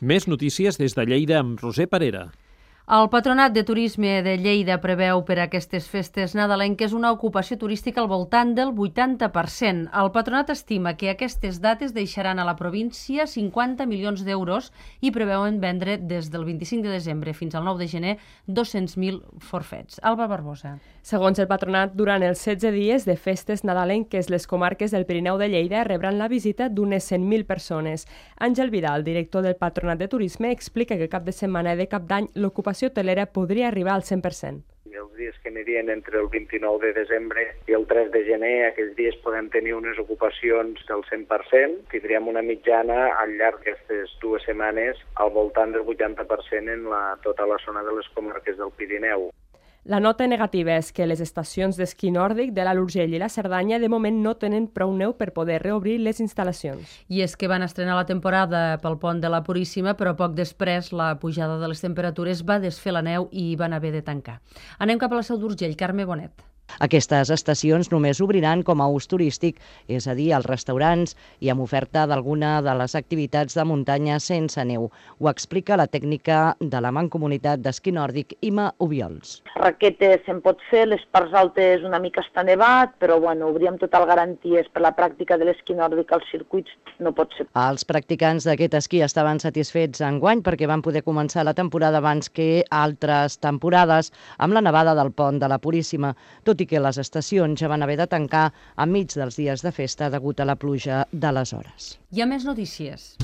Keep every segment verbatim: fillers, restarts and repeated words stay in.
Més notícies des de Lleida amb Roser Parera. El Patronat de Turisme de Lleida preveu per a aquestes festes nadalenques una ocupació turística al voltant del vuitanta per cent. El Patronat estima que aquestes dates deixaran a la província cinquanta milions d'euros i preveuen vendre des del vint-i-cinc de desembre fins al nou de gener dos-cents mil forfets. Alba Barbosa. Segons el Patronat, durant els setze dies de festes nadalenques, les comarques del Pirineu de Lleida rebran la visita d'unes cent mil persones. Àngel Vidal, director del Patronat de Turisme, explica que cap de setmana i de cap d'any l'ocupació hotelera podria arribar al cent per cent. I els dies que anirien entre el vint-i-nou de desembre i el tres de gener, aquells dies podem tenir unes ocupacions del cent per cent. Tindríem una mitjana al llarg d'aquestes dues setmanes al voltant del vuitanta per cent en la, tota la zona de les comarques del Pirineu. La nota negativa és que les estacions d'esquí nòrdic de l'Alt Urgell i la Cerdanya de moment no tenen prou neu per poder reobrir les instal·lacions. I és que van estrenar la temporada pel pont de la Puríssima, però poc després la pujada de les temperatures va desfer la neu i van haver de tancar. Anem cap a la Seu d'Urgell, Carme Bonet. Aquestes estacions només obriran com a ús turístic, és a dir, als restaurants i amb oferta d'alguna de les activitats de muntanya sense neu. Ho explica la tècnica de la Mancomunitat d'Esquí Nòrdic, Ima Ubiols. Raquetes se'n pot fer, les parts altes una mica està nevat, però bueno, obríem total garanties per la pràctica de l'esquí nòrdic als circuits, no pot ser. Els practicants d'aquest esquí estaven satisfets enguany perquè van poder començar la temporada abans que altres temporades amb la nevada del pont de la Puríssima, tot i que les estacions ja van haver de tancar enmig dels dies de festa degut a la pluja d'aleshores. Hi ha més notícies.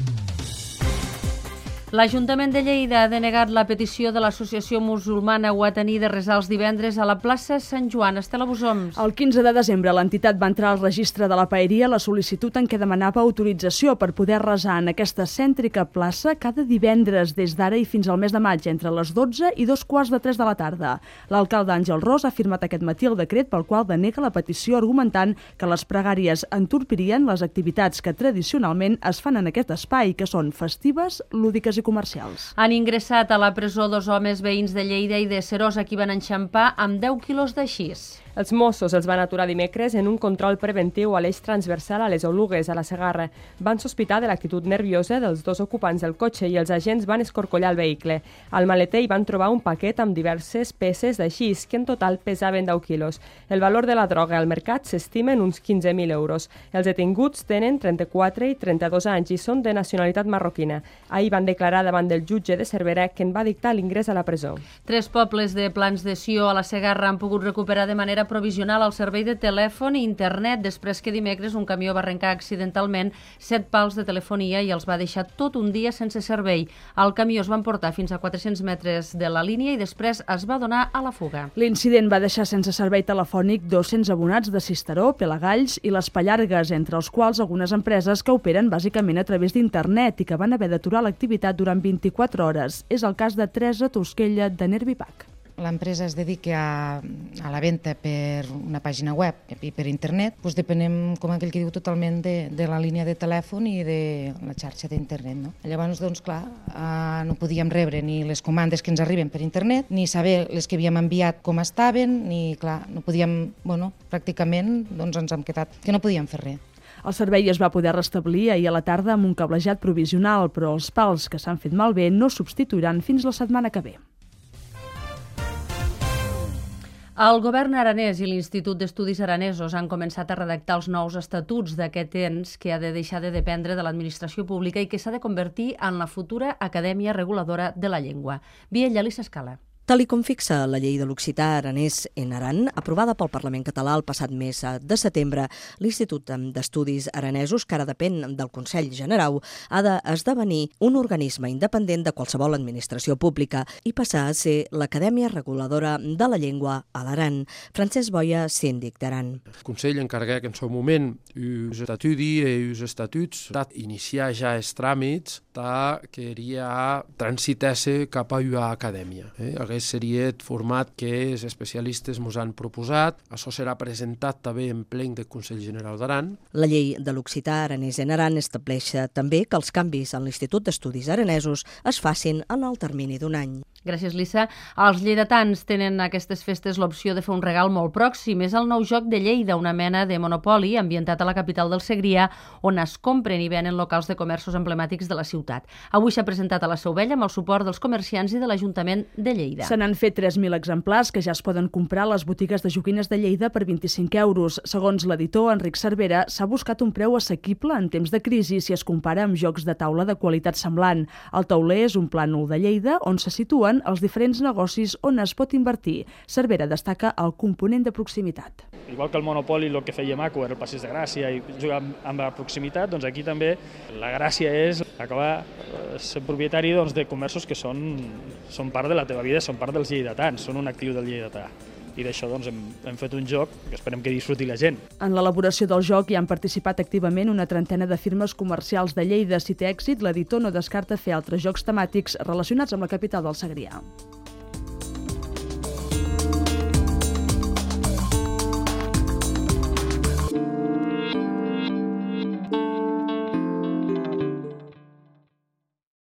L'Ajuntament de Lleida ha denegat la petició de l'Associació Musulmana Wataní de resar els divendres a la plaça Sant Joan. Estela Busoms. El quinze de desembre l'entitat va entrar al registre de la paeria la sol·licitud en què demanava autorització per poder resar en aquesta cèntrica plaça cada divendres des d'ara i fins al mes de maig entre les dotze i dos quarts de tres de la tarda. L'alcalde Àngel Ros ha firmat aquest matí el decret pel qual denega la petició argumentant que les pregàries entorpirien les activitats que tradicionalment es fan en aquest espai, que són festives, lúdiques i comercials. Han ingressat a la presó dos homes veïns de Lleida i de Serós a qui van enxampar amb deu quilos de xís. Els Mossos els van aturar dimecres en un control preventiu a l'eix transversal a les Olugues, a la Segarra. Van sospitar de l'actitud nerviosa dels dos ocupants del cotxe i els agents van escorcollar el vehicle. Al maleter hi van trobar un paquet amb diverses peces de xís, que en total pesaven deu quilos. El valor de la droga al mercat s'estima en uns quinze mil euros. Els detinguts tenen trenta-quatre i trenta-dos anys i són de nacionalitat marroquina. Ahir van declarar davant del jutge de Cervera que en va dictar l'ingrés a la presó. Tres pobles de Plans de Sió a la Segarra han pogut recuperar de manera provisional el servei de telèfon i internet després que dimecres un camió va arrencar accidentalment set pals de telefonia i els va deixar tot un dia sense servei. El camió es va emportar fins a quatre-cents metres de la línia i després es va donar a la fuga. L'incident va deixar sense servei telefònic dos-cents abonats de Sisteró, Pelagalls i les Pallargues, entre els quals algunes empreses que operen bàsicament a través d'internet i que van haver d'aturar l'activitat durant vint-i-quatre hores. És el cas de Teresa Tosquella de Nervipac. L'empresa es dedica a, a la venda per una pàgina web i per internet, doncs depenem, com aquell que diu, totalment de, de la línia de telèfon i de la xarxa d'internet. No? Llavors, doncs, clar, eh, no podíem rebre ni les comandes que ens arriben per internet, ni saber les que havíem enviat com estaven, ni, clar, no podíem, bueno, pràcticament doncs ens hem quedat que no podíem fer res. El servei es va poder restablir ahir a la tarda amb un cablejat provisional, però els pals que s'han fet malbé no substituiran fins la setmana que ve. El govern aranès i l'Institut d'Estudis Aranesos han començat a redactar els nous estatuts d'aquest ens que ha de deixar de dependre de l'administració pública i que s'ha de convertir en la futura Acadèmia Reguladora de la Llengua. Viella Lissa Escala. Tal i com fixa la llei de l'occità aranès en Aran, aprovada pel Parlament català el passat mes de setembre, l'Institut d'Estudis Aranesos, que ara depèn del Consell General, ha d'esdevenir un organisme independent de qualsevol administració pública i passar a ser l'Acadèmia Reguladora de la Llengua a l'Aran. Francesc Boia, síndic d'Aran. El Consell encarregué en seu moment els estudis i els estatuts d'iniciar ja els tràmits que queria transitar-se cap a una acadèmia. Eh? seria el format que els especialistes ens han proposat. Això serà presentat també en plen del Consell General d'Aran. La llei de l'occità aranès en Aran estableix també que els canvis en l'Institut d'Estudis Aranesos es facin en el termini d'un any. Gràcies, Lissa. Els lleidatans tenen aquestes festes l'opció de fer un regal molt pròxim. És el nou joc de Lleida, una mena de monopoli ambientat a la capital del Segrià, on es compren i venen locals de comerços emblemàtics de la ciutat. Avui s'ha presentat a la Seu Vella amb el suport dels comerciants i de l'Ajuntament de Lleida. Se n'han fet tres mil exemplars que ja es poden comprar a les botigues de joguines de Lleida per vint-i-cinc euros. Segons l'editor Enric Cervera, s'ha buscat un preu assequible en temps de crisi si es compara amb jocs de taula de qualitat semblant. El tauler és un plànol de Lleida on se situen els diferents negocis on es pot invertir. Cervera destaca el component de proximitat. Igual que el Monopoly, el que feia maco era el Passeig de Gràcia i jugar amb la proximitat, doncs aquí també la gràcia és acabar sent propietari doncs, de comerços que són, són part de la teva vida, són part dels lleidatans, són un actiu del lleidatà. I d'això doncs, hem, hem fet un joc que esperem que disfruti la gent. En l'elaboració del joc hi han participat activament una trentena de firmes comercials de Lleida. Si té èxit, l'editor no descarta fer altres jocs temàtics relacionats amb la capital del Segrià.